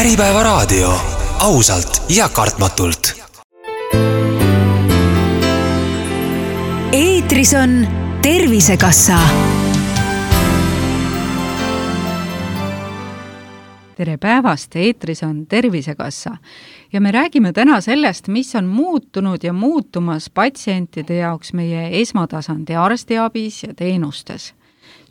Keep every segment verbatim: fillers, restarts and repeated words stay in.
Äripäevaraadio, ausalt ja kartmatult. Eetris on Tervisekassa. Tere päevast, eetris on Tervisekassa ja me räägime täna sellest, mis on muutunud ja muutumas patsientide jaoks meie esmatasandi arstiabis ja teenustes.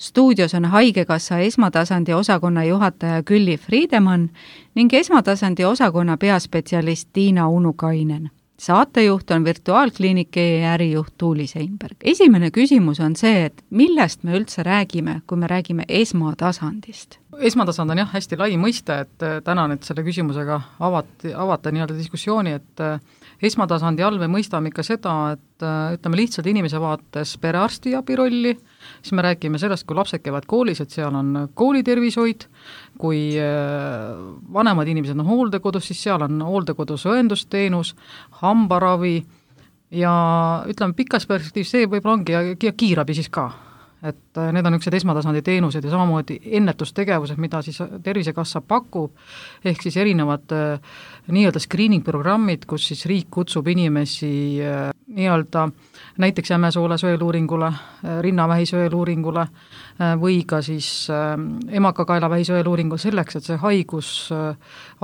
Stuudios on Haigekassa esmatasandi osakonna juhataja Külli Friedemann ning esmatasandi osakonna peaspetsialist Tiina Unukainen. Saatejuht on virtuaalkliinike ärijuht Tuuli Seinberg. Esimene küsimus on see, et millest me üldse räägime, kui me räägime esmatasandist? Esmatasand on jah hästi lai mõiste, et tänan, et selle küsimusega avati, avata nii-öelda diskussiooni, et esmatasandi all me mõistame ikka seda, et ütleme lihtsalt inimese vaates perearstiabi rolli, siis me räägime sellest, kui lapsed käivad koolis, et seal on koolitervishoid, kui vanemad inimesed on hooldekodus, siis seal on hooldekodus õendusteenus, hambaravi ja ütleme pikas perspektiivis see võib-olla ongi ja kiirabi siis ka. Et need on üksid esmatasandi teenused ja samamoodi ennetustegevused, mida siis Tervisekassa pakub, ehk siis erinevad nii-öelda screening-programmid, kus siis riik kutsub inimesi nii-öelda näiteks jämesoole sõeluuringule, rinnavähi sõeluuringule või ka siis emakakaelavähi sõeluuringule selleks, et see haigus,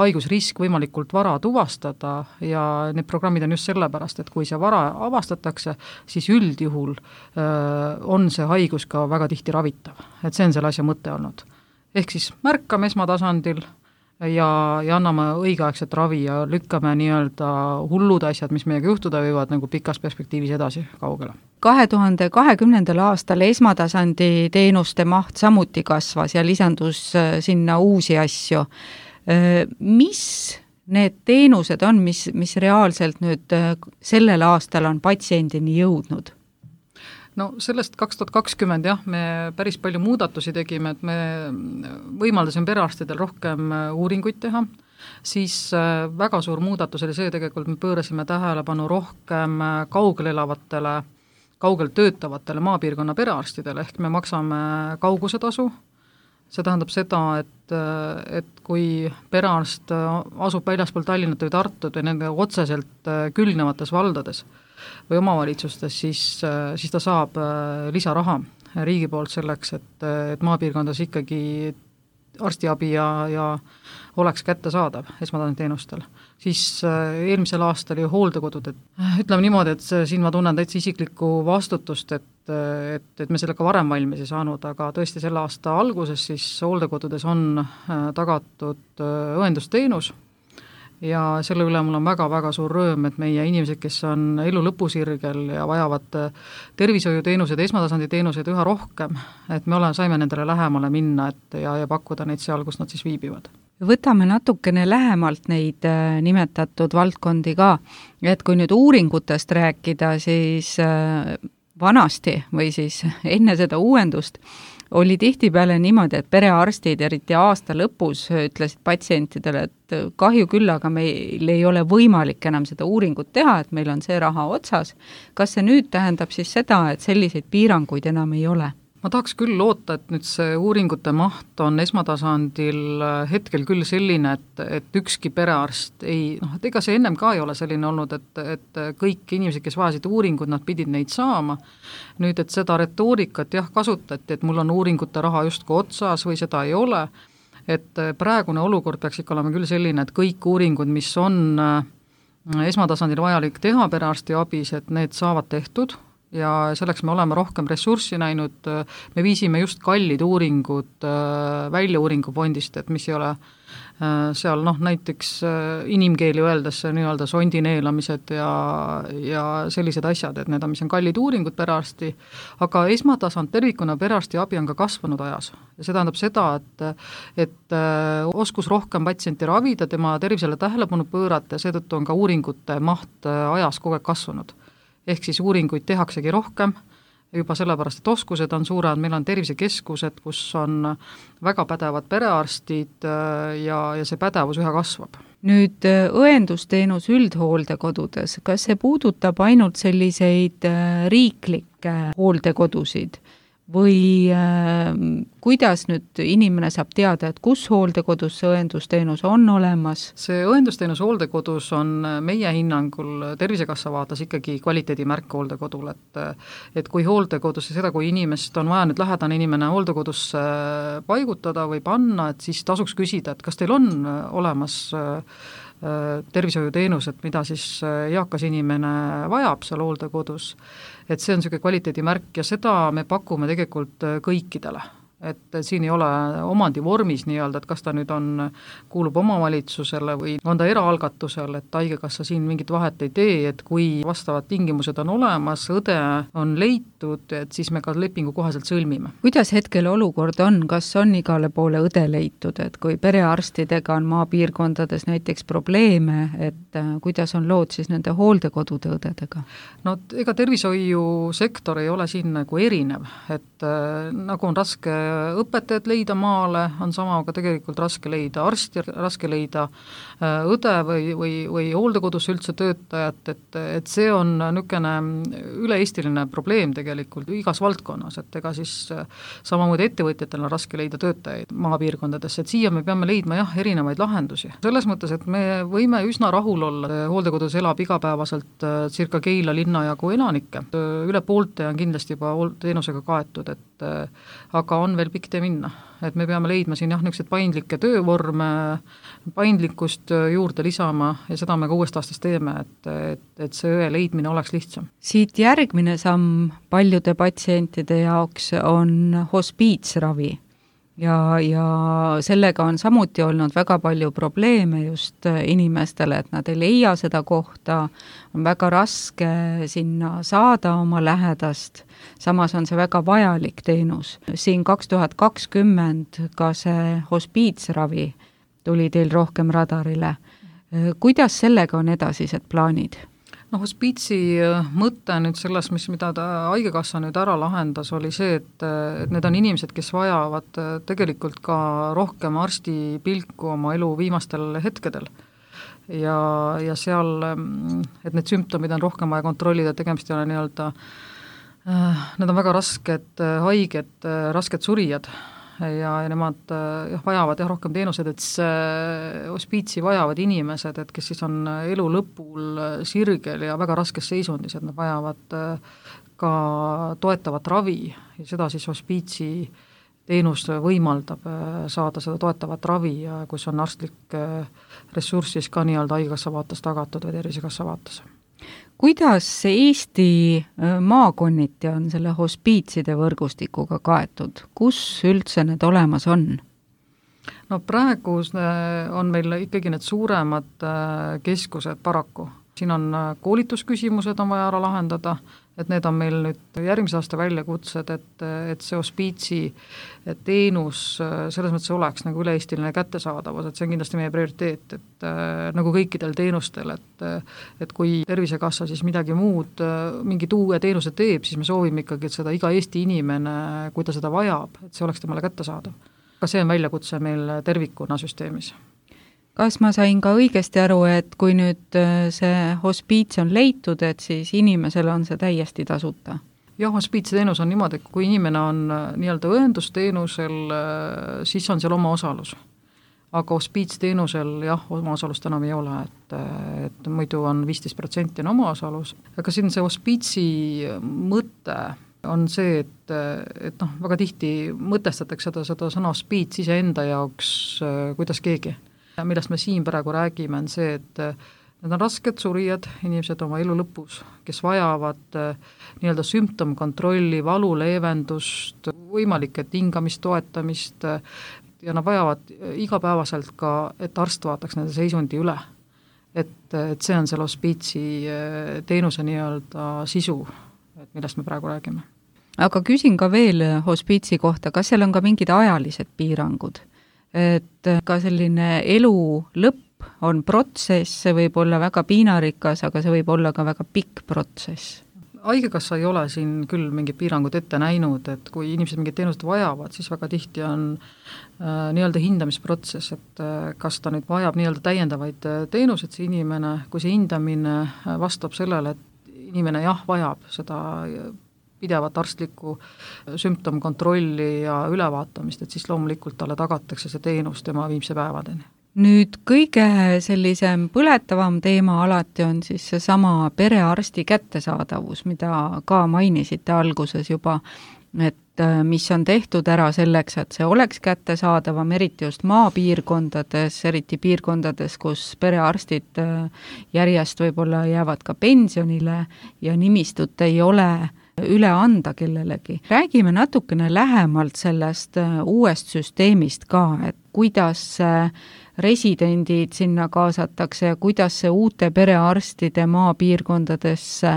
haigusrisk võimalikult vara tuvastada ja need programmid on just sellepärast, et kui see vara avastatakse, siis üldjuhul on see haigus ka väga tihti ravitav. Et see on selle asja mõte olnud. Ehk siis märkame esmatasandil ja, ja anname õigeaegset ravi ja lükkame nii-öelda hullud asjad, mis meiega juhtuda võivad nagu pikas perspektiivis edasi kaugele. kahe tuhande kahekümnendal aastal esmatasandi teenuste maht samuti kasvas ja lisandus sinna uusi asju. Mis need teenused on, mis, mis reaalselt nüüd sellel aastal on patsiendini jõudnud? No sellest kaks tuhat kakskümmend jah, me päris palju muudatusi tegime, et me võimaldasime perearstidel rohkem uuringuid teha, siis väga suur muudatus oli see tegelikult, me pöörasime tähelepanu rohkem kaugel elavatele, kaugel töötavatele maapiirkonna perearstidele, ehk me maksame kaugusetasu. See tähendab seda, et, et kui perearst asub väljaspool Tallinnat või Tartut või nende otseselt külgnevates valdades või omavalitsustes, siis, siis ta saab lisaraha riigi poolt selleks, et, et maapiirkondades ikkagi arstiabi ja, ja oleks kättesaadav esmatasandi teenustel. Siis eelmisel aastal ju hooldekodud, et ütleme niimoodi, et siin ma tunnen täitsa isiklikku vastutust, et, et, et me sellega varem valmis ei saanud, aga tõesti selle aasta alguses siis hooldekodudes on tagatud õendusteenus ja selle üle mul on väga-väga suur rõõm, et meie inimesed, kes on elu lõpusirgel ja vajavad tervishoiuteenused, esmatasandi teenused üha rohkem, et me oleme, saime nendele lähemale minna et, ja, ja pakkuda neid seal, kus nad siis viibivad. Võtame natukene lähemalt neid nimetatud valdkondi ka, et kui nüüd uuringutest rääkida, siis vanasti või siis enne seda uuendust oli tihtipeale niimoodi, et perearstid eriti aasta lõpus ütlesid patsientidele, et kahju küll, aga meil ei ole võimalik enam seda uuringut teha, et meil on see raha otsas. Kas see nüüd tähendab siis seda, et selliseid piiranguid enam ei ole? Ma tahaks küll loota, et nüüd see uuringute maht on esmatasandil hetkel küll selline, et, et ükski perearst ei, noh, et ega see ennem ka ei ole selline olnud, et, et kõik inimesed, kes vajasid uuringud, nad pidid neid saama. Nüüd, et seda retoorikat jah kasutati, et mul on uuringute raha justko otsas või seda ei ole, et praegune olukord peaks ikka olema küll selline, et kõik uuringud, mis on esmatasandil vajalik teha perearsti abis, et need saavad tehtud, ja selleks me oleme rohkem ressurssi näinud, me viisime just kallid uuringud välja uuringufondist, et mis ei ole seal noh, näiteks inimkeeli öeldes nii-öelda sondineelamised ja, ja sellised asjad, et need on, mis on kallid uuringud perearsti, aga esmatasand tervikuna perearsti abi on ka kasvanud ajas. Ja see tähendab seda, et, et oskus rohkem patsienti ravida, tema tervisele tähelepanu pöörata ja seetõttu on ka uuringute maht ajas kogu aeg kasvanud. Ehk siis uuringuid tehaksegi rohkem, juba sellepärast, et oskused on suured, meil on tervisekeskused, kus on väga pädevad perearstid ja, ja see pädevus üha kasvab. Nüüd õendusteenus üldhooldekodudes, kas see puudutab ainult selliseid riiklikke hooldekodusid või äh, kuidas nüüd inimene saab teada, et kus hooldekodus see õendusteenus on olemas? See õendusteenus hooldekodus on meie hinnangul Tervisekassa vaates ikkagi kvaliteedimärk hooldekodul, et et kui hooldekodus ja seda, kui inimest on vaja nüüd lähedane inimene hooldekodusse paigutada või panna, et siis tasuks küsida, et kas teil on olemas tervishoiuteenused, mida siis eakas inimene vajab seal hooldekodus, et see on niisugune kvaliteedimärk ja seda me pakume tegelikult kõikidele. Et siin ei ole omandi vormis nii-öelda, et kas ta nüüd on, kuulub omavalitsusele või on ta eraalgatusel, et haigekassa siin mingit vahet ei tee, et kui vastavad tingimused on olemas, õde on leitud, et siis me ka lepingu kohaselt sõlmime. Kuidas hetkel olukord on, kas on igale poole õde leitud, et kui perearstidega on maapiirkondades näiteks probleeme, et kuidas on lood siis nende hooldekodude õdedega? No ega tervishoiusektor ei ole siin nagu erinev, et äh, nagu on raske õpetajad leida maale, on sama ka tegelikult raske leida arsti, raske leida õde või, või, või hooldekodus üldse töötajat, et, et see on niisugune üle-eestiline probleem tegelikult igas valdkonnas, et ega siis samamoodi ettevõtjatel on raske leida töötajaid maapiirkondadesse, et siia me peame leidma jah, erinevaid lahendusi. Selles mõttes, et me võime üsna rahul olla, hooldekodus elab igapäevaselt circa Keila linna jagu elanikke, üle poolte on kindlasti juba teenusega kaetud, et aga on veel pikk tee minna, et me peame leidma siin jah, niisuguseid paindlikke töövorme, paindlikkust juurde lisama ja seda me ka uuest aastast teeme, et, et, et see õe leidmine oleks lihtsam. Siit järgmine samm paljude patsientide jaoks on hospiitsravi ja, ja sellega on samuti olnud väga palju probleeme just inimestele, et nad ei leia seda kohta, on väga raske sinna saada oma lähedast, samas on see väga vajalik teenus. Siin kaks tuhat kakskümmend ka see hospiitsravi tuli teil rohkem radarile. Kuidas sellega on edasised plaanid? No hospiitsi mõte nüüd selles, mis, mida ta haigekassa nüüd ära lahendas, oli see, et, et need on inimesed, kes vajavad tegelikult ka rohkem arsti pilku oma elu viimastel hetkedel. Ja, ja seal, et need sümptomid on rohkem vaja kontrollida, tegemist ei ole nii-öelda, need on väga rasked haiged, rasked surijad ja, ja nemad jah, vajavad jah, rohkem teenused, et see hospiitsi vajavad inimesed, et kes siis on elu lõpul sirgel ja väga raskes seisundis, et nad vajavad ka toetavat ravi ja seda siis hospiitsi teenus võimaldab saada seda toetavat ravi ja kus on arstlik ressurss siis ka nii-öelda haigekassa vaates tagatud või Tervisekassa vaates. Kuidas Eesti maakonniti on selle hospiitside võrgustikuga kaetud? Kus üldse need olemas on? No praegu on meil ikkagi need suuremad keskused paraku. Siin on koolitusküsimused on vaja ära lahendada, et need on meil nüüd järgmise aasta väljakutsed, et, et see hospiitsi teenus selles mõttes oleks nagu üle-eestiline kättesaadavus, et see on kindlasti meie prioriteet, et nagu kõikidel teenustel, et, et kui Tervisekassa siis midagi muud, mingid uue teenuse teeb, siis me soovime ikkagi, et seda iga Eesti inimene, kui ta seda vajab, et see oleks temale kättesaadav. Ka see on väljakutse meil tervikuna süsteemis. Kas ma sain ka õigesti aru, et kui nüüd see hospiits on leitud, et siis inimesel on see täiesti tasuta? Jah, hospiitsteenus on niimoodi, et kui inimene on nii-öelda õendusteenusel, siis on seal oma osalus. Aga hospiitsteenusel jah, oma osalust enam ei ole, et, et muidu on viisteist protsenti on oma osalus. Aga siin see hospiitsi mõte on see, et, et noh, väga tihti mõtestatakse seda, seda sõna hospiits iseenda jaoks, kuidas keegi. Millest me siin praegu räägime, on see, et need on rasked surijad, inimesed oma elu lõpus, kes vajavad nii-öelda sümptomkontrolli, valu leevendust, võimalike tingamist, toetamist ja nad vajavad igapäevaselt ka, et arst vaataks nende seisundi üle. Et, et see on selle hospiitsi teenuse nii-öelda sisu, et millest me praegu räägime. Aga küsin ka veel hospiitsi kohta, kas seal on ka mingid ajalised piirangud? Et ka selline elu lõpp on protsess, see võib olla väga piinarikas, aga see võib olla ka väga pikk protsess. Haigekassa ei ole siin küll mingid piirangud ette näinud, et kui inimesed mingid teenused vajavad, siis väga tihti on äh, nii-öelda hindamisprotsess, et äh, kas ta nüüd vajab nii-öelda täiendavaid teenused see inimene, kui see hindamine vastab sellele, et inimene jah, vajab seda pidevat arstlikku sümptomkontrolli ja ülevaatamist, et siis loomulikult talle tagatakse see teenus tema viimse päevadeni. Nüüd kõige sellisem põletavam teema alati on siis seesama perearsti kättesaadavus, mida ka mainisite alguses juba, et mis on tehtud ära selleks, et see oleks kättesaadavam, eriti just maapiirkondades, eriti piirkondades, kus perearstid järjest võib-olla jäävad ka pensionile ja nimistut ei ole üle anda kellelegi. Räägime natukene lähemalt sellest uuest süsteemist ka, et kuidas residendid sinna kaasatakse ja kuidas see uute perearstide maapiirkondadesse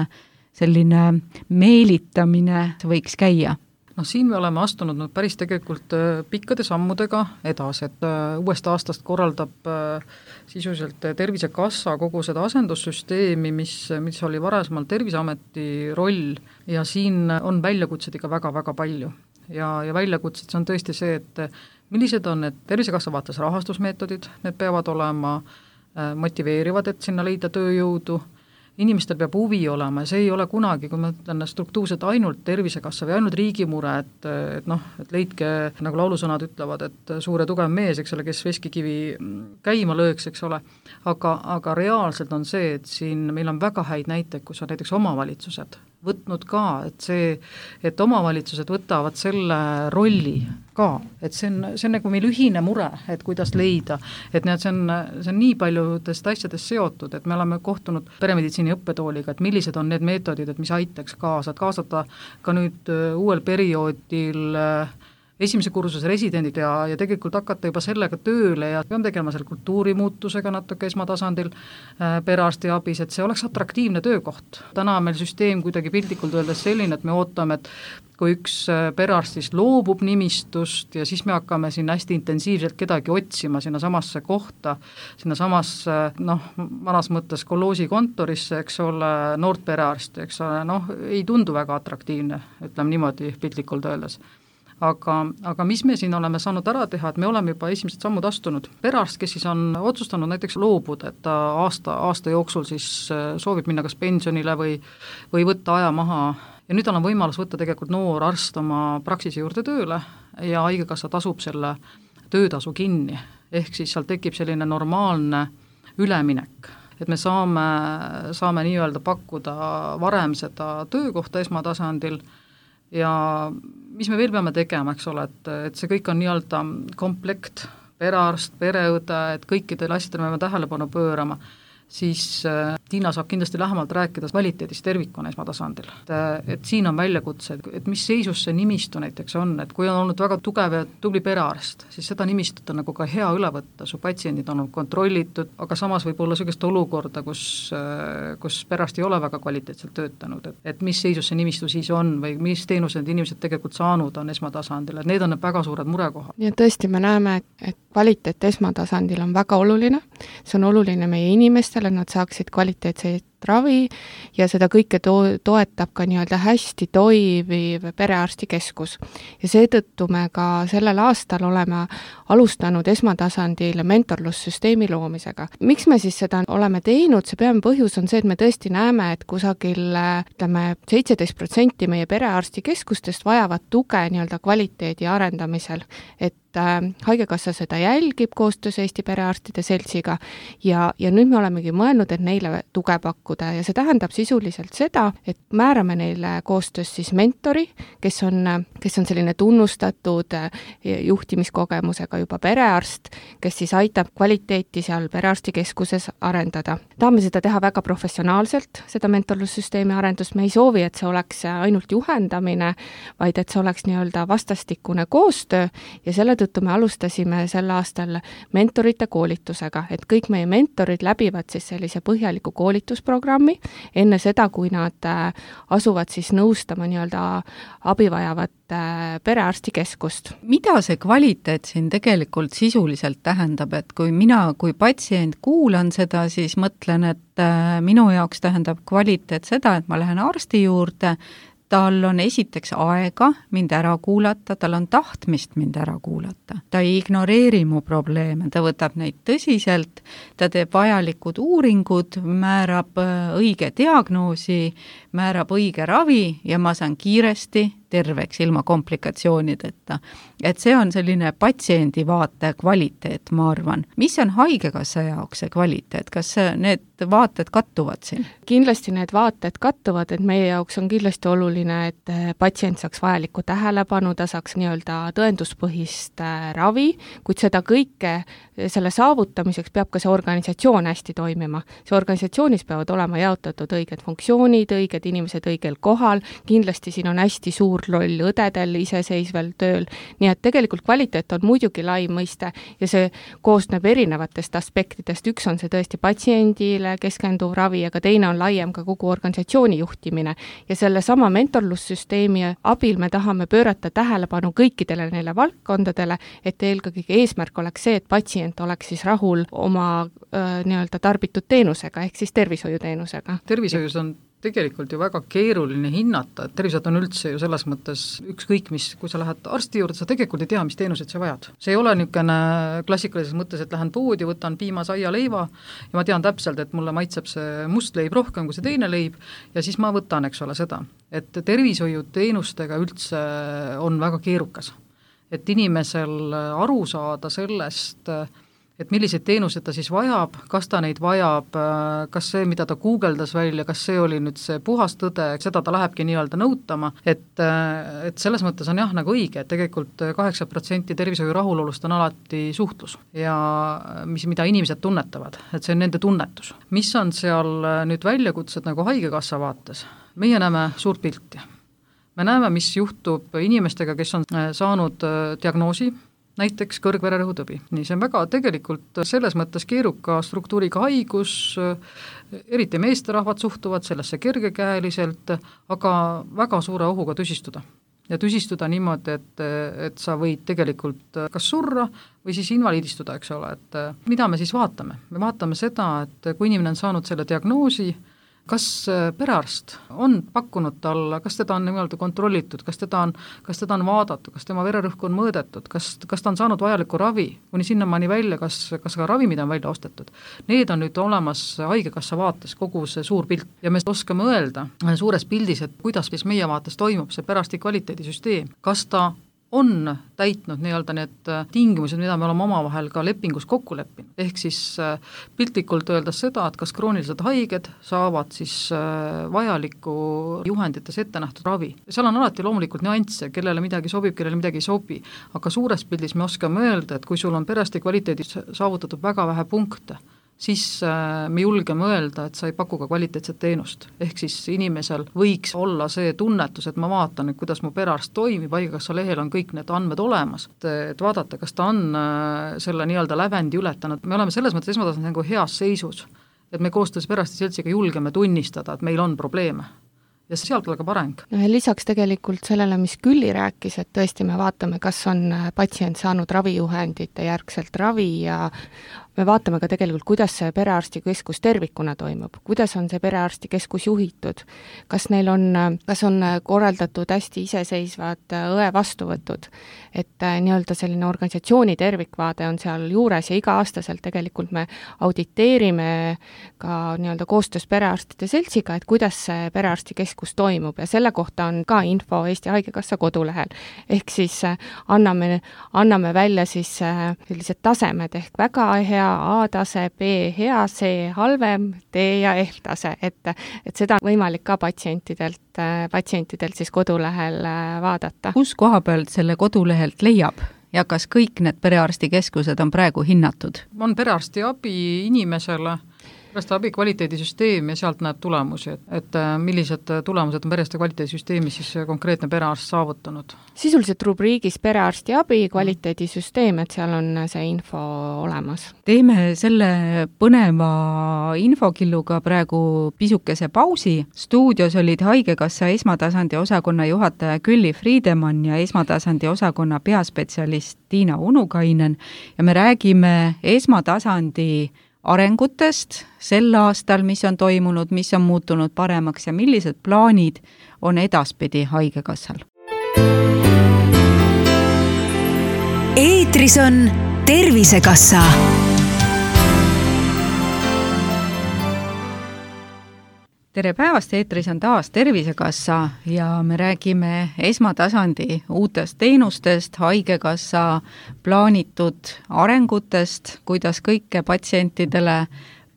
selline meelitamine võiks käia? No siin me oleme astunud nüüd päris tegelikult pikkade sammudega edasi, et uuest aastast korraldab sisuliselt Tervisekassa kogu seda asendussüsteemi, mis, mis oli varasemalt Terviseameti roll ja siin on väljakutsed ikka väga-väga palju. Ja, ja väljakutsed, see on tõesti see, et millised on need Tervisekassa vaates rahastusmeetodid, need peavad olema motiveerivad, et sinna leida tööjõudu, inimestel peab huvi olema ja see ei ole kunagi, kui ma ütlen struktuurselt ainult Tervisekassa või ainult riigi mure, et, et noh, et leidke, nagu laulusõnad ütlevad, et suure tugev mees, eks ole, kes veskikivi käima lööks, eks ole, aga, aga reaalselt on see, et siin meil on väga häid näiteid, kus on näiteks omavalitsused võtnud ka, et see, et omavalitsused võtavad selle rolli ka, et see on, see on nagu meil ühine mure, et kuidas leida, et need, see on, see on nii paljudest asjadest seotud, et me oleme kohtunud peremeditsiini õppetooliga, et millised on need meetodid, et mis aitaks kaasa, et kaasata ka nüüd uuel perioodil esimese kursuse residendid ja, ja tegelikult hakata juba sellega tööle ja peame tegema selle kultuurimuutusega natuke esmatasandil äh, perearstiabis, et see oleks atraktiivne töökoht. Täna on meil süsteem kuidagi piltlikult öeldes selline, et me ootame, et kui üks perearstist loobub nimistust ja siis me hakkame siin hästi intensiivselt kedagi otsima sinna samasse kohta, sinna samasse, noh, vanas mõttes kolloosi kontorisse, eks ole, noort perearsti, eks ole, noh, ei tundu väga atraktiivne, ütleme niimoodi piltlikult öeldes. Aga, aga mis me siin oleme saanud ära teha, et me oleme juba esimesed sammud astunud. Perearst, kes siis on otsustanud näiteks loobuda, et ta aasta, aasta jooksul siis soovib minna kas pensionile või, või võtta aja maha ja nüüd on võimalus võtta tegelikult noor arst oma praksise juurde tööle ja haigekassa tasub selle töötasu kinni, ehk siis seal tekib selline normaalne üleminek, et me saame, saame nii-öelda pakkuda varem seda töökohta esmatasandil ja mis me veel peame tegema, eks ole, et, et see kõik on nii-öelda komplekt, perearst, pereõde, et kõikidele asjadele me peame tähelepanu pöörama, siis äh, Tiina saab kindlasti lähemalt rääkida kvaliteedist tervikuna esmatasandil. Et, et siin on väljakutsed, et mis seisus see nimistu näiteks on, et kui on olnud väga tugev ja tubli perearst, siis seda nimistut on nagu ka hea üle võtta, su patsiendid on kontrollitud, aga samas võib olla sellist olukorda, kus, kus perearst ei ole väga kvaliteetselt töötanud, et, et mis seisus see nimistu siis on või mis teenused inimesed tegelikult saanud on esmatasandil, et need on need väga suured murekohad. Ja tõesti me näeme, et, et kvaliteet esmatasandil on väga oluline, see on oluline meie inimestele, nad saaksid kvaliteetseid ravi ja seda kõike to- toetab ka nii-öelda hästi toimiv perearstikeskus. Ja seetõttu me ka sellel aastal oleme alustanud esmatasandil mentorlussüsteemi loomisega. Miks me siis seda oleme teinud? See peame põhjus on see, et me tõesti näeme, et kusagil ütleme seitseteist protsenti meie perearstikeskustest vajavad tuge nii-öelda kvaliteedi arendamisel, et haigekassa seda jälgib koostöös Eesti Perearstide Seltsiga ja, ja nüüd me olemegi mõelnud, et neile tuge pakkuda ja see tähendab sisuliselt seda, et määrame neile koostöös siis mentori, kes on, kes on selline tunnustatud juhtimiskogemusega juba perearst, kes siis aitab kvaliteeti seal perearstikeskuses arendada. Tahame seda teha väga professionaalselt, seda mentorlussüsteemi arendust, me ei soovi, et see oleks ainult juhendamine, vaid et see oleks nii-öelda vastastikune koostöö ja selle tõttu me alustasime sel aastal mentorite koolitusega, et kõik meie mentorid läbivad siis sellise põhjaliku koolitusprogrammi enne seda, kui nad asuvad siis nõustama nii-öelda abivajavat perearstikeskust. Mida see kvaliteet siin tegelikult sisuliselt tähendab, et kui mina kui patsient kuulan seda, siis mõtlen, et minu jaoks tähendab kvaliteet seda, et ma lähen arsti juurde, tal on esiteks aega mind ära kuulata, tal on tahtmist mind ära kuulata. Ta ei ignoreeri mu probleeme, ta võtab neid tõsiselt, ta teeb vajalikud uuringud, määrab õige diagnoosi, määrab õige ravi ja ma saan kiiresti terveks ilma komplikatsioonideta. Et see on selline patsiendi vaate kvaliteet, ma arvan. Mis on haigekassa jaoks see kvaliteet? Kas need vaated kattuvad siin? Kindlasti need vaated kattuvad, et meie jaoks on kindlasti oluline, et patsient saaks vajalikku tähelepanu, ta saaks nii-öelda tõenduspõhist ravi, kuid seda kõike selle saavutamiseks peab ka see organisatsioon hästi toimima. See organisatsioonis peavad olema jaotatud õiged funktsioonid, õiged inimesed õigel kohal, kindlasti siin on hästi suur roll õdedel iseseisvel tööl, nii et tegelikult kvaliteet on muidugi lai mõiste ja see koosneb erinevatest aspektidest, üks on see tõesti patsiendile keskenduv ravi, aga teine on laiem ka kogu organisatsiooni juhtimine ja selle sama mentorlussüsteemi abil me tahame pöörata tähelepanu kõikidele neile valdkondadele, et eelkõige eesmärk oleks see, et patsient oleks siis rahul oma äh, nii-öelda tarbitud teenusega, ehk siis tervishoiuteenusega. Tervishoius on tegelikult ju väga keeruline hinnata, et tervishoid on üldse ju selles mõttes ükskõik mis, kui sa lähed arsti juurde, sa tegelikult ei tea, mis teenused sa vajad. See ei ole niisugune klassikalises mõttes, et lähen poodi, võtan piima, saia, leiva ja ma tean täpselt, et mulle maitseb see must leib rohkem kui see teine leib ja siis ma võtan, eks ole, seda. Et tervishoiuteenustega üldse on väga keerukas. Et inimesel aru saada sellest, et milliseid teenused ta siis vajab, kas ta neid vajab, kas see, mida ta guugeldas välja, kas see oli nüüd see puhas tõde, seda ta lähebki nii-öelda nõutama, et, et selles mõttes on jah nagu õige, et tegelikult kaheksa protsenti tervishoiu rahulolust on alati suhtlus ja mis, mida inimesed tunnetavad, et see on nende tunnetus. Mis on seal nüüd väljakutsed nagu haigekassa vaates? Meie näeme suurt pilti. Me näeme, mis juhtub inimestega, kes on saanud diagnoosi, näiteks kõrgvererõhutõbi. Nii, see on väga tegelikult selles mõttes keeruka struktuuriga haigus, eriti meesterahvad suhtuvad sellesse kergekäeliselt, aga väga suure ohuga tüsistuda. Ja tüsistuda niimoodi, et, et sa võid tegelikult kas surra või siis invaliidistuda, eks ole. Et mida me siis vaatame? Me vaatame seda, et kui inimene on saanud selle diagnoosi, kas perearst on pakkunud talle, kas teda on nii-öelda kontrollitud, kas teda on, kas teda on vaadatud, kas tema vererõhku on mõõdetud, kas, kas ta on saanud vajalikku ravi, kuni sinnamaani välja, kas, kas ka ravimid on välja ostetud. Need on nüüd olemas haigekassa vaates kogu see suur pilt ja me oskame öelda suures pildis, et kuidas siis meie vaates toimub see perearsti kvaliteedisüsteem, kas ta on täitnud nii-öelda need tingimused, mida me oleme omavahel ka lepingus kokku leppinud. Ehk siis piltlikult öeldes seda, et kas kroonilised haiged saavad siis vajalikku juhendites ette nähtud ravi. Seal on alati loomulikult nüansse, kellele midagi sobib, kellele midagi ei sobi, aga suures pildis me oskame öelda, et kui sul on perearsti kvaliteedis saavutatud väga vähe punkte, siis me julgeme öelda, et sa ei paku ka kvaliteetset teenust. Ehk siis inimesel võiks olla see tunnetus, et ma vaatan, et kuidas mu perearst toimib, haigekassa lehel on kõik need andmed olemas, et vaadata, kas ta on selle nii-öelda lävendi ületanud. Me oleme selles mõttes esmatasandil nagu heas seisus, et me koostöös perearsti seltsiga julgeme tunnistada, et meil on probleeme. Ja sealt algab areng. Lisaks tegelikult sellele, mis Külli rääkis, et tõesti me vaatame, kas on patsient saanud ravijuhendite järgselt ravi ja me vaatame ka tegelikult, kuidas see perearstikeskus tervikuna toimub, kuidas on see perearstikeskus juhitud, kas neil on, kas on korraldatud hästi iseseisvad õe vastuvõtud, et nii-öelda selline organisatsiooni tervikvaade on seal juures ja iga-aastaselt tegelikult me auditeerime ka nii-öelda koostöös perearstide seltsiga, et kuidas see perearstikeskus toimub ja selle kohta on ka info Eesti Haigekassa kodulehel. Ehk siis anname, anname välja siis sellised tasemed ehk väga hea A-tase, B hea, C halvem, D ja F-tase, et, et seda on võimalik ka patsientidelt, patsientidelt siis kodulehel vaadata. Kus koha pealt selle kodulehelt leiab ja kas kõik need perearstikeskused on praegu hinnatud? On perearsti abi inimesele, perearsti abi kvaliteedisüsteem ja sealt näeb tulemusi, et, et millised tulemused on perearsti kvaliteedisüsteemi siis konkreetne perearst saavutanud. Sisuliselt rubriigis perearsti abi kvaliteedisüsteem, et seal on see info olemas. Teeme selle põneva infokilluga praegu pisukese pausi. Stuudios olid Haigekassa esmatasandi osakonna juhataja Külli Friedemann ja esmatasandi osakonna peaspetsialist Tiina Unukainen ja me räägime esmatasandi arengutest sel aastal, mis on toimunud, mis on muutunud paremaks ja millised plaanid on edaspidi Haigekassal. Eetris on Tervisekassa. Tere päevast, eetris on taas Tervisekassa ja me räägime esmatasandi uutest teenustest, Haigekassa plaanitud arengutest, kuidas kõike patsientidele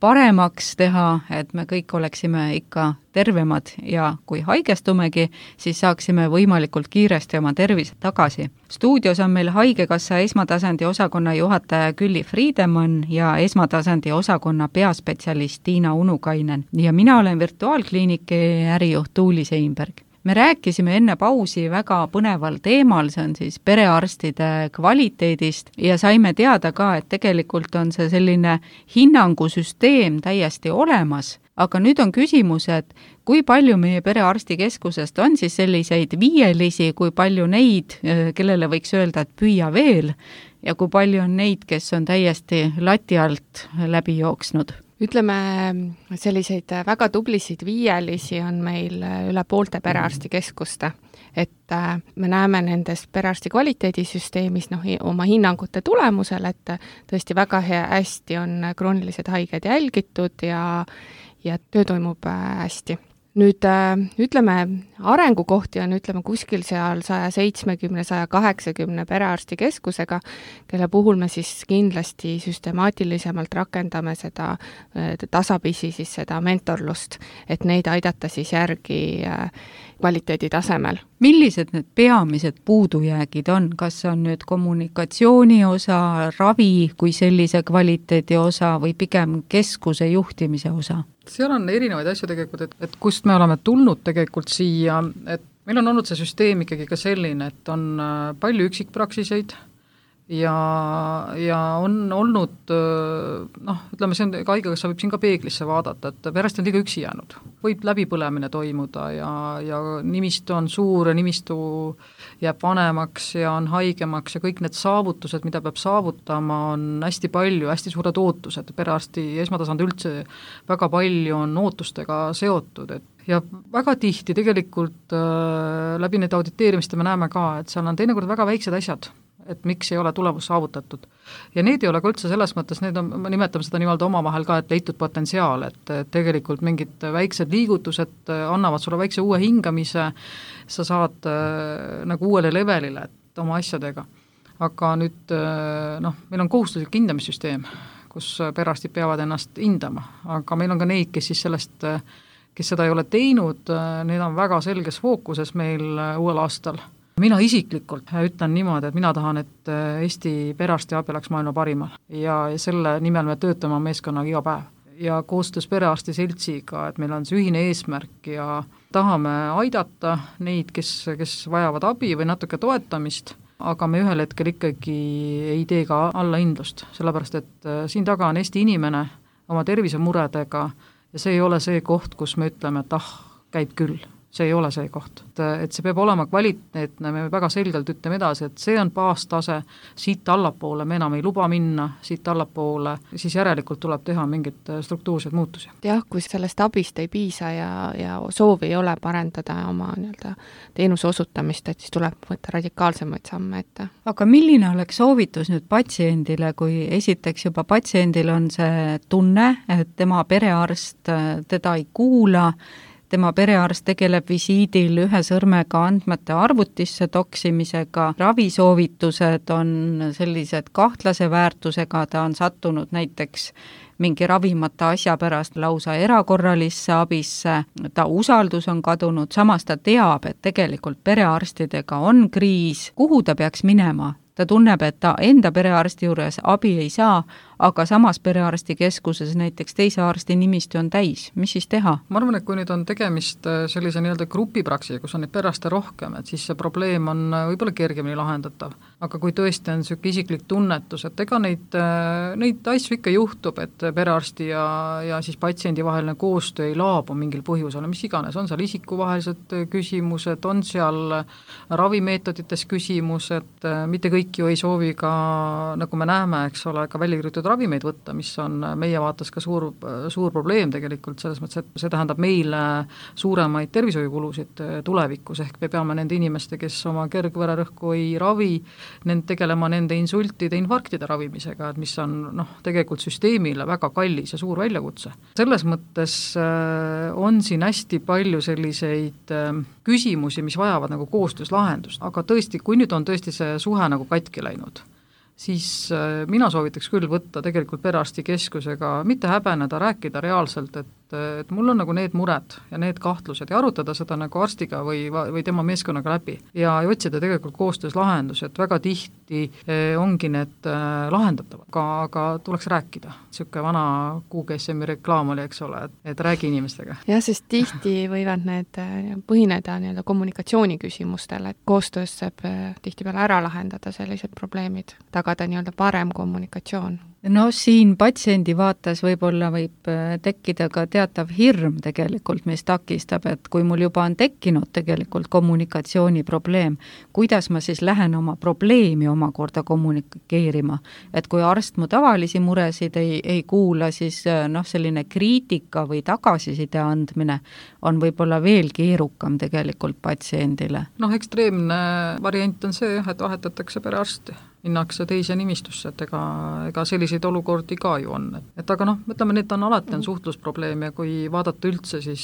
paremaks teha, et me kõik oleksime ikka tervemad ja kui haigestumegi, siis saaksime võimalikult kiiresti oma tervise tagasi. Stuudios on meil Haigekassa esmatasandi osakonna juhataja Külli Friedemann ja esmatasandi osakonna peaspetsialist Tiina Unukainen ja mina olen virtuaalkliiniki ärijuht Tuuli Seinberg. Me rääkisime enne pausi väga põneval teemal, see on siis perearstide kvaliteedist ja saime teada ka, et tegelikult on see selline hinnangusüsteem täiesti olemas, aga nüüd on küsimus, et kui palju meie perearstikeskusest on siis selliseid viielisi, kui palju neid, kellele võiks öelda, et püüa veel ja kui palju on neid, kes on täiesti lati alt läbi jooksnud? Ütleme, selliseid väga tublisid viielisi on meil üle poolte perearstikeskuste, et me näeme nendes perearsti kvaliteedisüsteemis noh, oma hinnangute tulemusel, et tõesti väga hea, hästi on kroonilised haiged jälgitud ja, ja töö toimub hästi. Nüüd ütleme, arengukohti on ütleme kuskil seal sada seitsekümmend, sada kaheksakümmend perearstikeskusega, kelle puhul me siis kindlasti süstemaatilisemalt rakendame seda tasapisi siis seda mentorlust, et neid aidata siis järgi kvaliteedi tasemel. Millised need peamised puudujäägid on? Kas on nüüd kommunikatsiooni osa, ravi kui sellise kvaliteedi osa või pigem keskuse juhtimise osa? Seal on erinevaid asju tegelikult, et, et kust me oleme tulnud tegelikult siia, et meil on olnud see süsteem ikkagi ka selline, et on palju üksikpraksiseid ja, ja on olnud, noh, ütleme, see on, Haigekassa võib siin ka peeglisse vaadata, et pärast on liiga üksi jäänud. Võib läbipõlemine toimuda ja, ja nimistu on suur ja nimistu jääb vanemaks ja on haigemaks ja kõik need saavutused, mida peab saavutama, on hästi palju, hästi suured ootused. Perearsti esmatasand üldse väga palju on ootustega seotud, et ja väga tihti tegelikult äh, läbi need auditeerimist me näeme ka, et seal on teinekord väga väiksed asjad, et miks ei ole tulemus saavutatud. Ja need ei ole ka üldse selles mõttes, need on, ma nimetan seda niimoodi omavahel ka, et leitud potentsiaal, et tegelikult mingid väiksed liigutused annavad sulle väikse uue hingamise, sa saad äh, nagu uuele levelile et oma asjadega. Aga nüüd, äh, noh, meil on kohustuslik hindamissüsteem, kus perearstid peavad ennast hindama, aga meil on ka neid, kes siis sellest, kes seda ei ole teinud, need on väga selges fookuses meil uuel aastal. Mina isiklikult ütlen niimoodi, et mina tahan, et Eesti perearstiabi oleks maailma parimal ja selle nimel me töötame meeskonnaga iga päev. Ja koostöös perearsti seltsiga, et meil on see ühine eesmärk ja tahame aidata neid, kes, kes vajavad abi või natuke toetamist, aga me ühel hetkel ikkagi ei tee ka allahindlust, sellepärast et siin taga on Eesti inimene oma tervisemuredega ja see ei ole see koht, kus me ütleme, et ah, käib küll. See ei ole see koht. Et see peab olema kvaliteetne, me väga selgelt ütleme edasi, et see on baastase, siit allapoole me enam ei luba minna, siit allapoole, siis järelikult tuleb teha mingid struktuursed muutusi. Jah, kui sellest abist ei piisa ja, ja soovi ei ole parendada oma nii-öelda teenuse osutamist, et siis tuleb võtta radikaalsemaid samme ette. Aga milline oleks soovitus nüüd patsiendile, kui esiteks juba patsiendil on see tunne, et tema perearst teda ei kuula, tema perearst tegeleb visiidil ühe sõrmega andmete arvutisse toksimisega, ravisoovitused on sellised kahtlase väärtusega, ta on sattunud näiteks mingi ravimata asja pärast lausa erakorralisse abisse, ta usaldus on kadunud, samas ta teab, et tegelikult perearstidega on kriis, kuhu ta peaks minema? Ta tunneb, et ta enda perearsti juures abi ei saa, aga samas perearstikeskuses näiteks teise arsti nimistu on täis. Mis siis teha? Ma arvan, et kui nüüd on tegemist sellise nii-öelda grupipraksi, kus on neid perearste rohkem, et siis see probleem on võib-olla kergemini lahendatav. Aga kui tõesti on niisugune isiklik tunnetus, et ega neid, neid asju ikka juhtub, et perearsti ja, ja siis patsiendi vaheline koostöö ei laabu mingil põhjusel, mis iganes, on seal isikuvahelised küsimused, on seal ravimeetodites küsimused, mitte kõik ju ei soovi ka, nagu me näeme, eks ole, ka välja kirjutatud ravimeid võtta, mis on meie vaates ka suur, suur probleem tegelikult, selles mõttes, et see tähendab meile suuremaid tervishoiukulusid tulevikus, ehk me peame nende inimeste, kes oma kergvererõhku ei ravi, nend tegelema nende insultide, infarktide ravimisega, et mis on noh, tegelikult süsteemile väga kallis ja suur väljakutse. Selles mõttes on siin hästi palju selliseid küsimusi, mis vajavad nagu koostöös lahendust, aga tõesti, kui nüüd on tõesti see suhe nagu katki läinud, siis mina soovitaks küll võtta tegelikult perearstikeskusega, mitte häbeneda, rääkida reaalselt, et, et mul on nagu need mured ja need kahtlused ja arutada seda nagu arstiga või, või tema meeskonnaga läbi ja otsida tegelikult koostöös lahendus, et väga tihti ongi need lahendatavad, aga, aga tuleks rääkida. Niisugune vana Q G S M-i reklaam oli, eks ole, et, et räägi inimestega. Jah, sest tihti võivad need põhineda nii-öelda kommunikatsiooni küsimustel, et koostöös saab tihtipeale ära lahendada sellised probleemid, tagada nii-öelda parem kommunikatsioon. No siin patsiendi vaates võib-olla võib tekkida ka teatav hirm tegelikult, mis takistab, et kui mul juba on tekkinud tegelikult kommunikatsiooniprobleem, kuidas ma siis lähen oma probleemi omakorda kommunikeerima, et kui arst mu tavalisi muresid ei, ei kuula, siis noh, selline kriitika või tagasiside andmine on võib-olla veel keerukam tegelikult patsiendile. Noh, ekstreemne variant on see, et vahetatakse perearsti, minnakse teise nimistusse, et ega, ega selliseid olukordi ka ju on. Et aga noh, ütleme, need on alati on suhtlusprobleem ja kui vaadata üldse, siis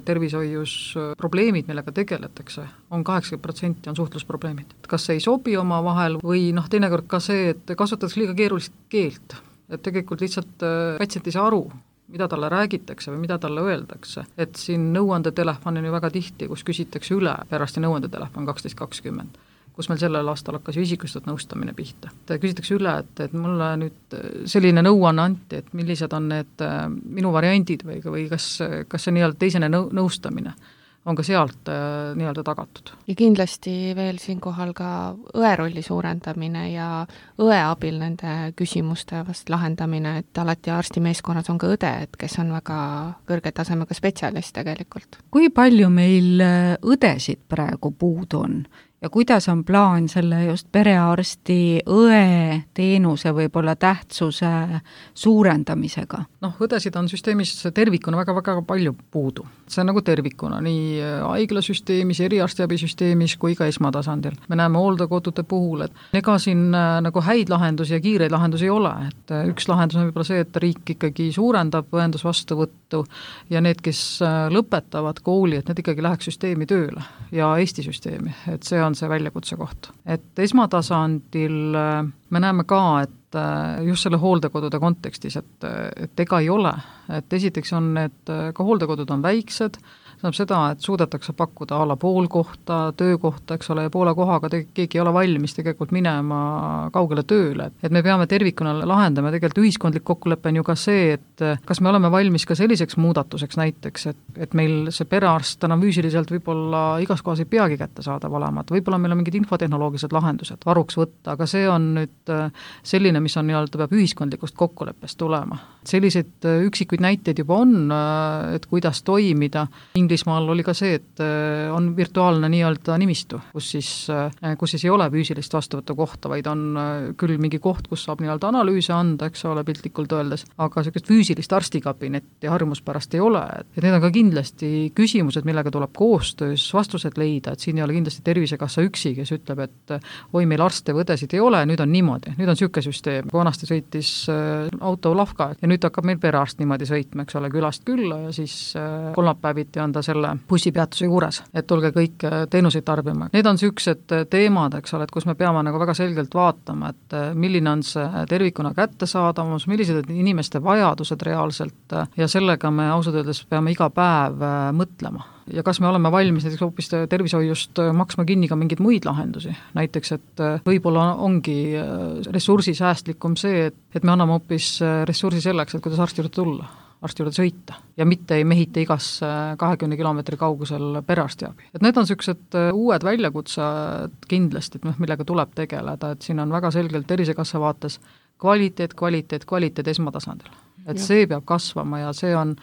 tervishoius probleemid, millega tegeletakse, on kaheksakümmend protsenti on suhtlusprobleemid. Et kas see ei sobi oma vahel või noh, teinekord ka see, et kasutatakse liiga keerulist keelt, et tegelikult lihtsalt patsient ei saa aru, mida talle räägitakse või mida talle öeldakse. Et siin nõuandetelefon on ju väga tihti, kus küsitakse üle, perearsti nõuandetelefon kaksteist kakskümmend, kus meil sellel aastal hakkas ju isikustatud nõustamine pihta. Küsitakse üle, et, et mulle nüüd selline nõuanne anti, et millised on need minu variandid või, või kas, kas see nii-öelda teisene nõu, nõustamine on ka sealt äh, nii-öelda tagatud. Ja kindlasti veel siinkohal ka õe rolli suurendamine ja õe abil nende küsimuste vast lahendamine, et alati arstimeeskonnas on ka õde, et kes on väga kõrge tasemega spetsialist tegelikult. Kui palju meil õdesid praegu puudu on? Ja kuidas on plaan selle just perearsti õe teenuse võib-olla tähtsuse suurendamisega? Noh, õdesid on süsteemis tervikuna väga-väga palju puudu. See on nagu tervikuna, nii haiglasüsteemis, eriarstiabisüsteemis kui ka esmatasandil. Me näeme hooldekodude puhul, et ega siin nagu häid lahendusi ja kiireid lahendusi ei ole. Et üks lahendus on võib-olla see, et riik ikkagi suurendab õendusvastuvõttu ja need, kes lõpetavad kooli, et need ikkagi läheks süsteemi tööle ja Eesti süsteemi, et see on see väljakutse koht. Et esmatasandil me näeme ka, et just selle hooldekodude kontekstis, et, et ega ei ole, et esiteks on need, ka hooldekodud on väiksed, tähendab seda, et suudetakse pakkuda a la pool kohta, töökohta, eks ole, ja poole kohaga te, keegi ei ole valmis tegelikult minema kaugele tööle. Et me peame tervikuna lahendama, tegelikult ühiskondlik kokkulepe on ju ka see, et kas me oleme valmis ka selliseks muudatuseks näiteks, et, et meil see perearst enam füüsiliselt võib-olla igas kohas ei peagi kätte saada valama, et võib-olla meil on mingid infotehnoloogilised lahendused varuks võtta, aga see on nüüd selline, mis on nii-öelda peab ühiskondlikust kokkuleppest tulema. Selliseid üksikuid näiteid juba on, et kuidas toimida. Inglismaal oli ka see, et on virtuaalne nii-öelda nimistu, kus siis, kus siis ei ole füüsilist vastuvõttu kohta, vaid on küll mingi koht, kus saab nii-öelda analüüse anda, eks ole, piltlikult öeldes, aga sellist füüsilist arstikabinetti harjumuspärast ei ole. Et need on ka kindlasti küsimused, millega tuleb koostöös vastused leida, et siin ei ole kindlasti Tervisekassa üksi, kes ütleb, et oi, meil arste või õdesid ei ole, nüüd on niimoodi, nüüd on süüke süsteem. Vanasti sõitis auto Lavka ja nüüd hakkab meil perearst niimoodi sõitma, eks ole, külast külla ja siis kolmapäeviti on ta selle bussipeatuse juures, et tulge kõik teenuseid tarbima. Need on süüksed teemad, eks ole, et kus me peame nagu väga selgelt vaatama, et milline on see tervikuna kättesaadavus, millised on inimeste vajadused reaalselt ja sellega me ausalt öeldes peame iga päev mõtlema. Ja kas me oleme valmis näiteks hoopis tervishoiust maksma kinni ka mingeid muid lahendusi, näiteks, et võib-olla ongi ressursisäästlikum see, et, et me anname hoopis ressursi selleks, et kuidas arsti juurde tulla, arsti juurde sõita ja mitte ei mehita igas kahekümne kilomeetri kaugusel perearstiabi. Et need on sellised uued väljakutsed kindlasti, et millega tuleb tegeleda, et siin on väga selgelt Tervisekassa vaates kvaliteet, kvaliteet, kvaliteet esmatasandil. Et see peab kasvama ja see on,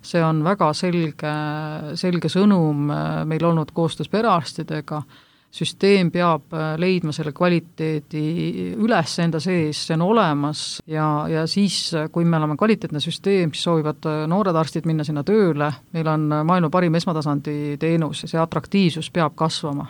see on väga selge, selge sõnum meil olnud koostöös perearstidega, süsteem peab leidma selle kvaliteedi üles enda sees, see on olemas ja, ja siis, kui me oleme kvaliteetne süsteem, siis soovivad noored arstid minna sinna tööle, meil on maailma parim esmatasandi teenus ja see atraktiivsus peab kasvama.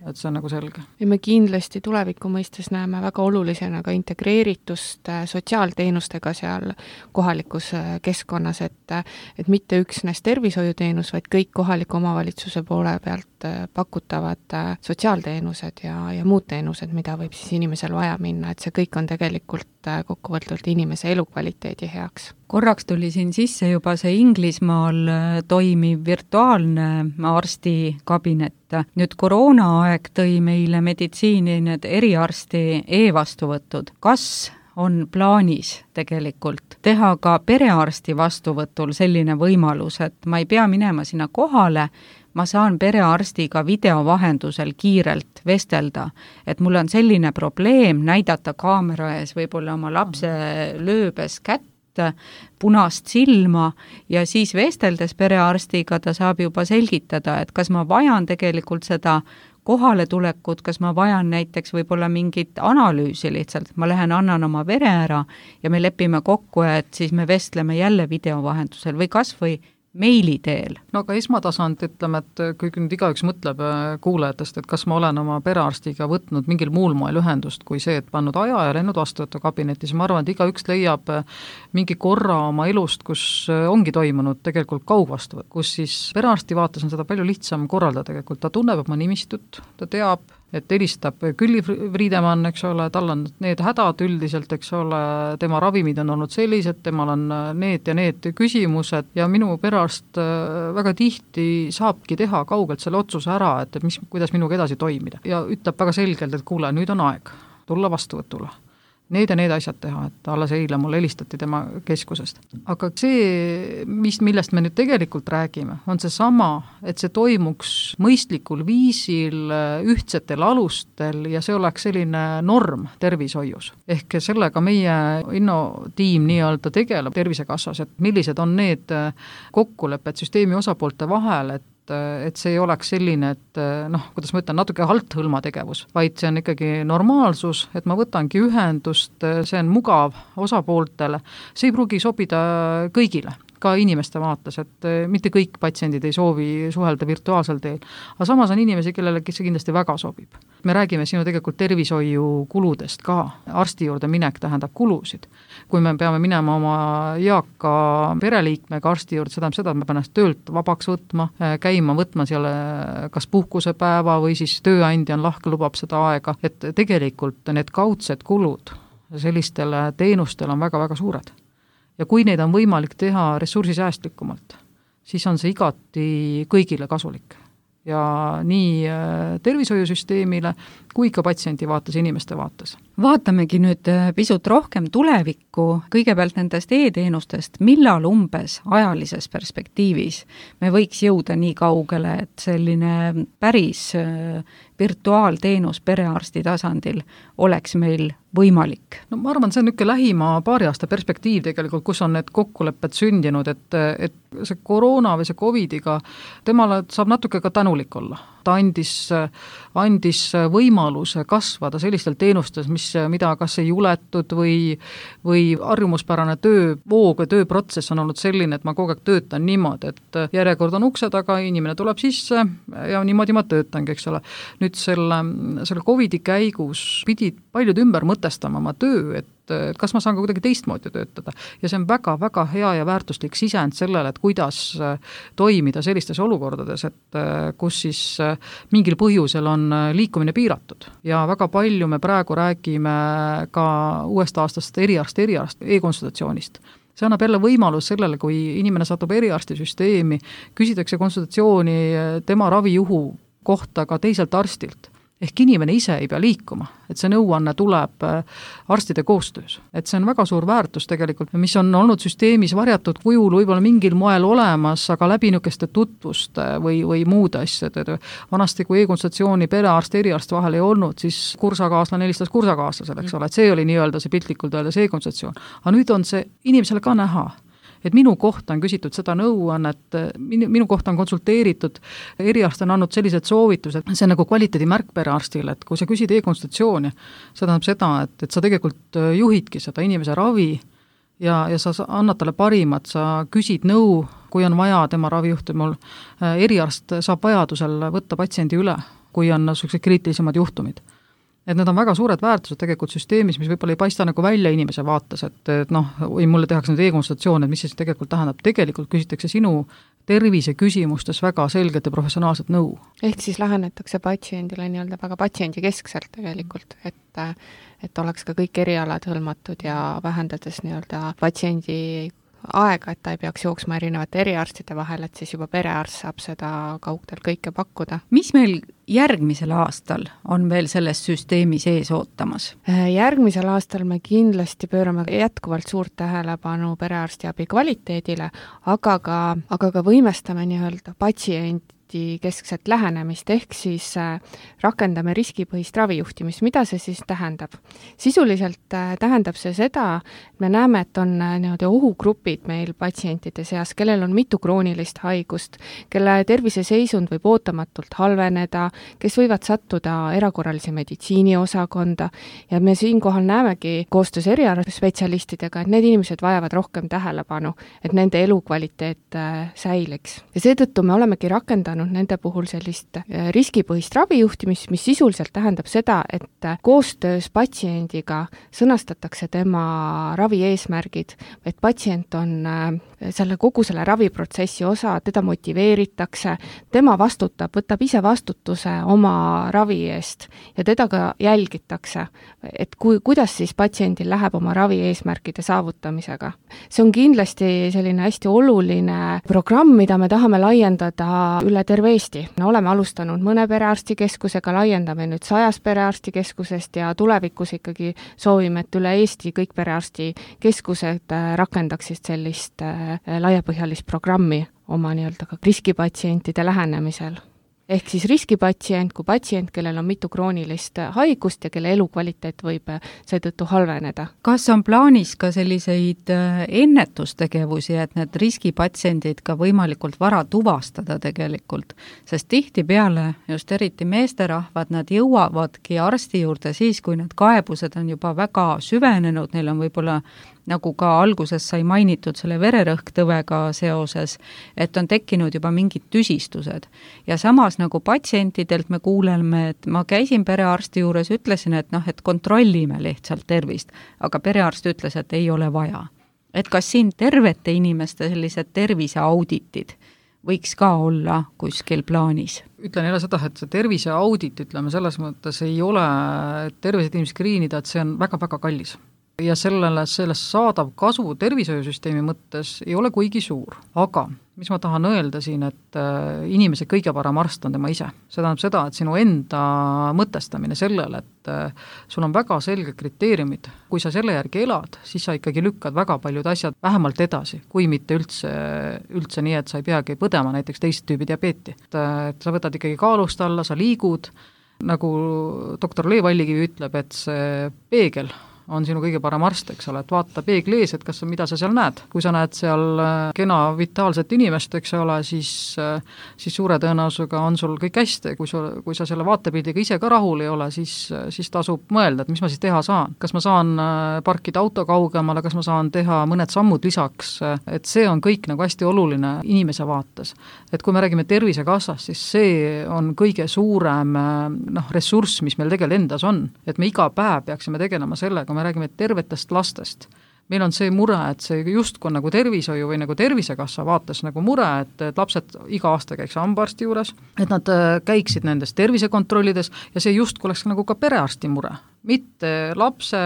Et see on nagu selge. Ja me kindlasti tuleviku mõistes näeme väga olulisena ka integreeritust sotsiaalteenustega seal kohalikus keskkonnas, et, et mitte üksnes tervishoiuteenus, vaid kõik kohaliku omavalitsuse poole pealt pakutavad sotsiaalteenused ja, ja muud teenused, mida võib siis inimesel vaja minna, et see kõik on tegelikult kokkuvõtvalt inimese elukvaliteedi heaks. Korraks tuli siin sisse juba see Inglismaal toimiv virtuaalne arstikabinet. Nüüd koroonaaeg tõi meile meditsiini need eriarsti e-vastuvõtud. Kas on plaanis tegelikult teha ka perearsti vastuvõtul selline võimalus, et ma ei pea minema sinna kohale, ma saan perearstiga videovahendusel kiirelt vestelda, et mul on selline probleem näidata kaamera ees võib-olla oma lapse lööbes kätt, punast silma ja siis vesteldes perearstiga ta saab juba selgitada, et kas ma vajan tegelikult seda kohale tulekut, kas ma vajan näiteks võib-olla mingit analüüsi lihtsalt, ma lähen annan oma vere ära ja me lepime kokku, et siis me vestleme jälle videovahendusel või kas või meili teel. No aga esmatasand, ütleme, et kui nüüd igaüks mõtleb kuulajatest, et kas ma olen oma perearstiga võtnud mingil muul moel ühendust kui see, et pannud aja ja läinud vastuvõtu kabinetis, ma arvan, et igaüks leiab mingi korra oma elust, kus ongi toimunud tegelikult kaugvastuvõtt, kus siis perearsti vaates on seda palju lihtsam korraldada tegelikult, ta tunneb oma nimistut, ta teab, et helistab Külli Friidemann, eks ole, tal on need hädad üldiselt, eks ole, tema ravimid on olnud sellised, temal on need ja need küsimused ja minu perearst väga tihti saabki teha kaugelt selle otsuse ära, et mis, kuidas minuga edasi toimida. Ja ütleb väga selgelt, et kuule, nüüd on aeg tulla vastuvõtule. Need ja need asjad teha, et alles eile mulle helistati tema keskusest. Aga see, mis, millest me nüüd tegelikult räägime, on see sama, et see toimuks mõistlikul viisil, ühtsetel alustel ja see oleks selline norm tervishoius. Ehk sellega meie innotiim nii-öelda tegeleb Tervisekassas, et millised on need kokkulepped süsteemi osapoolte vahel, et et see ei oleks selline, et noh, kuidas ma ütlen, natuke halthõlma tegevus, vaid see on ikkagi normaalsus, et ma võtangi ühendust, see on mugav osapooltele, see ei pruugi sobida kõigile, ka inimeste vaates, et mitte kõik patsiendid ei soovi suhelda virtuaalsel teel, aga samas on inimesi, kellele see kindlasti väga sobib. Me räägime sinu tegelikult tervishoiu kuludest ka, arsti juurde minek tähendab kulusid. Kui me peame minema oma eaka pereliikmega arsti juurde, seda, seda me peame töölt vabaks võtma, käima võtma seal kas puhkusepäeva või siis tööandja on lahke, lubab seda aega, et tegelikult need kaudsed kulud sellistele teenustele on väga-väga suured. Ja kui neid on võimalik teha ressursisäästlikumalt, siis on see igati kõigile kasulik. Ja nii tervishoiusüsteemile kui ka patsiendi vaates, inimeste vaates. Vaatamegi nüüd pisut rohkem tulevikku, kõigepealt nendest e-teenustest, millal umbes ajalises perspektiivis me võiks jõuda nii kaugele, et selline päris virtuaalteenus perearsti tasandil oleks meil võimalik? No ma arvan, see on niisugune lähima paari aasta perspektiiv tegelikult, kus on need kokkulepped sündinud, et, et see koroona või see covidiga, temale saab natuke ka tänulik olla. Ta andis, andis võimaluse kasvada sellistel teenustes, mis, mida kas ei juletud või, või harjumuspärane töövoog või tööprotsess on olnud selline, et ma kogu aeg töötan niimoodi, et järjekord on ukse taga, inimene tuleb sisse ja niimoodi ma töötangi, eks ole. Nüüd selle, selle covidi käigus pidid paljud ümber mõtestama oma töö, et et kas ma saan ka kuidagi teistmoodi töötada. Ja see on väga-väga hea ja väärtuslik sisend sellele, et kuidas toimida sellistes olukordades, et kus siis mingil põhjusel on liikumine piiratud. Ja väga palju me praegu räägime ka uuest aastast eriarst, eriarst, e-konsultatsioonist. See annab jälle võimalus sellele, kui inimene satub eriarstisüsteemi, küsitakse konsultatsiooni tema ravijuhu kohta ka teiselt arstilt. Ehk inimene ise ei pea liikuma, et see nõuanne tuleb arstide koostöös. Et see on väga suur väärtus tegelikult, mis on olnud süsteemis varjatud kujul võib-olla mingil moel olemas, aga läbi niisuguste tutvuste või, või muud asjad. Vanasti, kui e-konsultatsiooni perearst, eriarst vahel ei olnud, siis kursakaaslane helistas kursakaaslasele, eks ole, et see oli nii-öelda see piltlikult öeldes e-konsultatsioon. Aga nüüd on see inimesele ka näha, et minu kohta on küsitud seda nõuannet, minu, minu kohta on konsulteeritud, eriarst on andnud sellised soovitused, see on nagu kvaliteedimärk perearstile, et kui sa küsid e-konsultatsiooni, see tähendab seda, et, et sa tegelikult juhidki seda inimese ravi ja, ja sa annad talle parimat, sa küsid nõu, kui on vaja tema ravijuhtumul, eriarst saab vajadusel võtta patsiendi üle, kui on sellised kriitilisemad juhtumid. Et need on väga suured väärtused tegelikult süsteemis, mis võib-olla ei paista nagu välja inimese vaates, et, et noh, või mulle tehakse nüüd e-konsultatsioon, et mis siis tegelikult tähendab, tegelikult küsitakse sinu tervise küsimustes väga selget ja professionaalset nõu. Ehk siis lähenetakse patsiendile nii-öelda väga patsiendi keskselt tegelikult, et, et oleks ka kõik erialad hõlmatud ja vähendades nii-öelda patsiendi aega, et ta ei peaks jooksma erinevate eriarstide vahel, et siis juba perearst saab seda kaugtel kõike pakkuda. Mis meil järgmisel aastal on veel selles süsteemis ees ootamas? Järgmisel aastal me kindlasti pöörame jätkuvalt suurt tähelepanu perearstiabi kvaliteedile, aga ka, aga ka võimestame nii-öelda patsient keskset lähenemist, ehk siis rakendame riskipõhist ravijuhtimist. Mida see siis tähendab? Sisuliselt tähendab see seda, et me näeme, et on nii-öelda ohugrupid meil patsientide seas, kellel on mitu kroonilist haigust, kelle terviseseisund võib ootamatult halveneda, kes võivad sattuda erakorralise meditsiini osakonda ja me siinkohal näemegi koostöös eriarvspetsialistidega, et need inimesed vajavad rohkem tähelepanu, et nende elukvaliteet säiliks. Ja seetõttu me olemegi rakendanud nende puhul sellist riskipõhist ravijuhtimist, mis sisuliselt tähendab seda, et koostöös patsiendiga sõnastatakse tema ravi eesmärgid, et patsient on selle kogu selle raviprotsessi osa, teda motiveeritakse, tema vastutab, võtab ise vastutuse oma ravi eest ja teda ka jälgitakse, et kui, kuidas siis patsiendil läheb oma ravi eesmärkide saavutamisega. See on kindlasti selline hästi oluline programm, mida me tahame laiendada üle terve Eesti. Me oleme alustanud mõne perearstikeskusega, laiendame nüüd sajas perearstikeskusest ja tulevikus ikkagi soovime, et üle Eesti kõik perearstikeskused rakendaksid sellist laiapõhjalist programmi oma nii-öelda ka riskipatsientide lähenemisel. Ehk siis riskipatsient kui patsient, kellel on mitu kroonilist haigust ja kelle elukvaliteet võib seetõttu halveneda. Kas on plaanis ka selliseid ennetustegevusi, et need riskipatsiendid ka võimalikult vara tuvastada tegelikult? Sest tihtipeale, just eriti meesterahvad, nad jõuavadki arsti juurde siis, kui need kaebused on juba väga süvenenud, neil on võib-olla nagu ka alguses sai mainitud selle vererõhktõvega seoses, et on tekkinud juba mingid tüsistused. Ja samas nagu patsientidelt me kuuleme, et ma käisin perearsti juures, ütlesin, et noh, et kontrollime lihtsalt tervist, aga perearst ütles, et ei ole vaja. Et kas siin tervete inimeste sellised terviseauditid võiks ka olla kuskil plaanis? Ütlen jälle seda, et see terviseaudit, ütleme, selles mõttes ei ole tervised inimesed kriinida, et see on väga-väga kallis. Ja sellele, sellest saadav kasu tervishoiusüsteemi mõttes ei ole kuigi suur. Aga mis ma tahan öelda siin, et inimese kõige parem arst on tema ise. See tähendab seda, et sinu enda mõtestamine sellele, et sul on väga selged kriteeriumid. Kui sa selle järgi elad, siis sa ikkagi lükkad väga paljud asjad vähemalt edasi, kui mitte üldse, üldse nii, et sa ei peagi põdema näiteks teist tüübi diabeeti. Et, et sa võtad ikkagi kaalust alla, sa liigud, nagu doktor Le Vallikivi ütleb, et see peegel on sinu kõige parem arst, eks ole, et vaata peegli ees, et kas, mida sa seal näed. Kui sa näed seal kena vitaalset inimest, eks ole, siis, siis suure tõenäosusega on sul kõik hästi. Kui, sul, kui sa selle vaatepildiga ise ka rahul ei ole, siis, siis tasub mõelda, et mis ma siis teha saan. Kas ma saan parkida auto kaugemale, kas ma saan teha mõned sammud lisaks, et see on kõik nagu hästi oluline inimese vaates. Et kui me räägime Tervisekassast, siis see on kõige suurem noh, ressurss, mis meil tegelikult endas on. Et me iga päev peaksime tegelema sellega, me räägime tervetest lastest. Meil on see mure, et see justkui on nagu tervishoiu või nagu Tervisekassa vaates nagu mure, et, et lapsed iga aasta käiks hambaarsti juures, et nad käiksid nendes tervisekontrollides ja see justkui oleks nagu ka perearsti mure. Mitte lapse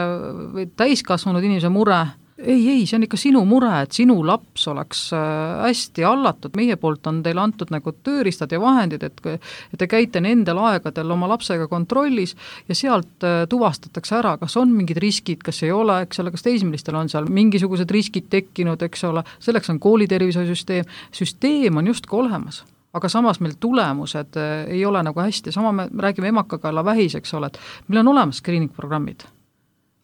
või täiskasvanud inimese mure. Ei, ei, see on ikka sinu mure, et sinu laps oleks hästi hallatud. Meie poolt on teile antud nagu tööriistad ja vahendid, et, et te käite nendel aegadel oma lapsega kontrollis ja sealt tuvastatakse ära, kas on mingid riskid, kas ei ole, eks ole, kas teismelistel on seal mingisugused riskid tekkinud, eks ole, selleks on koolitervishoiusüsteem. Süsteem on justkui olemas, aga samas meil tulemused ei ole nagu hästi. Sama me räägime emakakaela vähis, eks ole, et meil on olemas screening-programmid.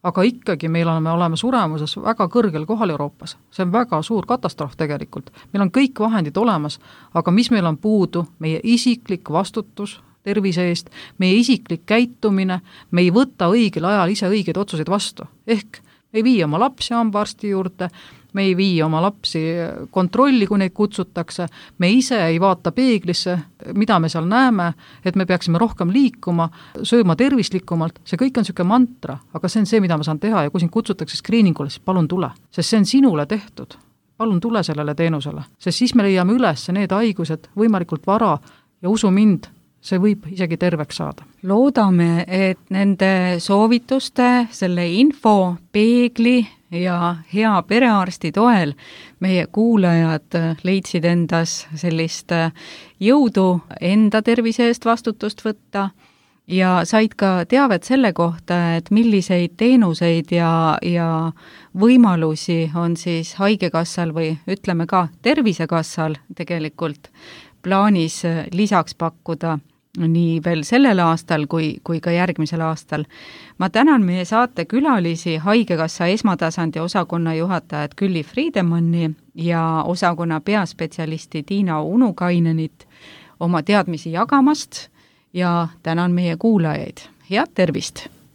aga ikkagi meil oleme, oleme suremuses väga kõrgel kohal Euroopas. See on väga suur katastroof tegelikult. Meil on kõik vahendid olemas, aga mis meil on puudu? Meie isiklik vastutus tervise eest, meie isiklik käitumine, me ei võta õigel ajal ise õigeid otsuseid vastu. Ehk me ei vii oma lapsi hambaarsti juurde, me ei vii oma lapsi kontrolli, kui neid kutsutakse, me ise ei vaata peeglisse, mida me seal näeme, et me peaksime rohkem liikuma, sööma tervislikumalt, see kõik on niisugune mantra, aga see on see, mida ma saan teha ja kui sind kutsutakse screeningule, siis palun tule, sest see on sinule tehtud. Palun tule sellele teenusele, sest siis me leiame üles need haigused võimalikult vara ja usu mind, see võib isegi terveks saada. Loodame, et nende soovituste, selle info, peegli ja hea perearsti toel meie kuulajad leidsid endas sellist jõudu enda tervise eest vastutust võtta ja said ka teavet selle kohta, et milliseid teenuseid ja, ja võimalusi on siis Haigekassal või ütleme ka Tervisekassal tegelikult plaanis lisaks pakkuda nii veel sellel aastal kui, kui ka järgmisel aastal. Ma tänan meie saate külalisi Haigekassa esmatasandi osakonna juhatajat Külli Friedemanni ja osakonna peaspetsialisti Tiina Unukainenit oma teadmisi jagamast ja tänan meie kuulajaid. Head tervist!